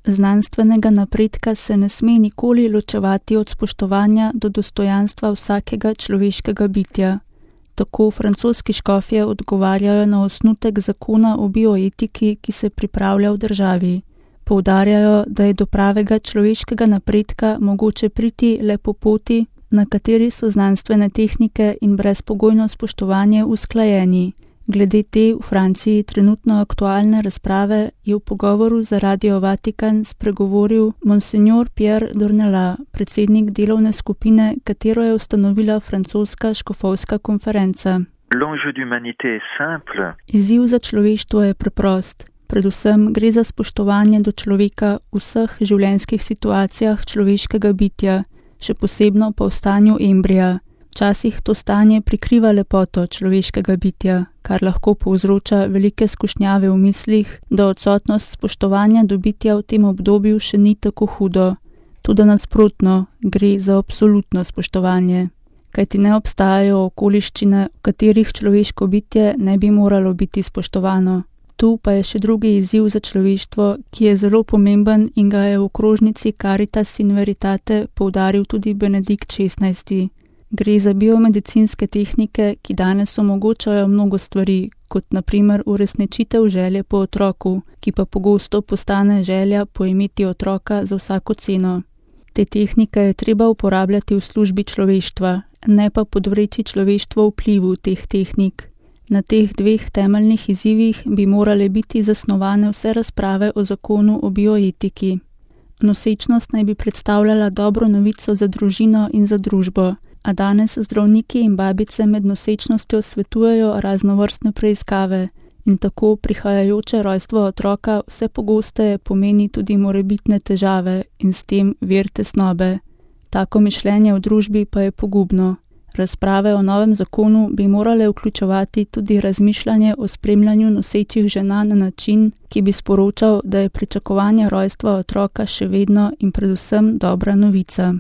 Znanstvenega napredka se ne sme nikoli ločevati od spoštovanja do dostojanstva vsakega človeškega bitja. Tako francoski škofje odgovarjajo na osnutek zakona o bioetiki, ki se pripravlja v državi. Poudarjajo, da je do pravega človeškega napredka mogoče priti le po poti, na kateri so znanstvene tehnike in brezpogojno spoštovanje usklajeni. Glede te v Franciji trenutno aktualne razprave je v pogovoru za Radio Vatikan spregovoril Monsignor Pierre Dornelas, predsednik delovne skupine, katero je ustanovila francoska škofovska konferenca. Izziv za človeštvo je preprost. Predvsem gre za spoštovanje do človeka v vseh življenjskih situacijah človeškega bitja, še posebno pa v stanju embrija. Včasih to stanje prikriva lepoto človeškega bitja, kar lahko povzroča velike skušnjave v mislih, da odsotnost spoštovanja do bitja v tem obdobju še ni tako hudo. Tudi nasprotno, gre za absolutno spoštovanje. Kajti ne obstajajo okoliščine, v katerih človeško bitje ne bi moralo biti spoštovano. Tu pa je še drugi izziv za človeštvo, ki je zelo pomemben in ga je v okrožnici Caritas in Veritate poudaril tudi Benedikt XVI. Gre za biomedicinske tehnike, ki danes omogočajo mnogo stvari, kot na primer uresničitev želje po otroku, ki pa pogosto postane želja po imeti otroka za vsako ceno. Te tehnike je treba uporabljati v službi človeštva, ne pa podvreči človeštvo vplivu teh tehnik. Na teh dveh temeljnih izzivih bi morale biti zasnovane vse razprave o zakonu o bioetiki. Nosečnost naj bi predstavljala dobro novico za družino in za družbo, a danes zdravniki in babice med nosečnostjo svetujejo raznovrstne preiskave in tako prihajajoče rojstvo otroka vse pogosteje pomeni tudi morebitne težave in s tem vir tesnobe. Tako mišljenje v družbi pa je pogubno. Razprave o novem zakonu bi morale vključevati tudi razmišljanje o spremljanju nosečih žena na način, ki bi sporočal, da je pričakovanje rojstva otroka še vedno in predvsem dobra novica.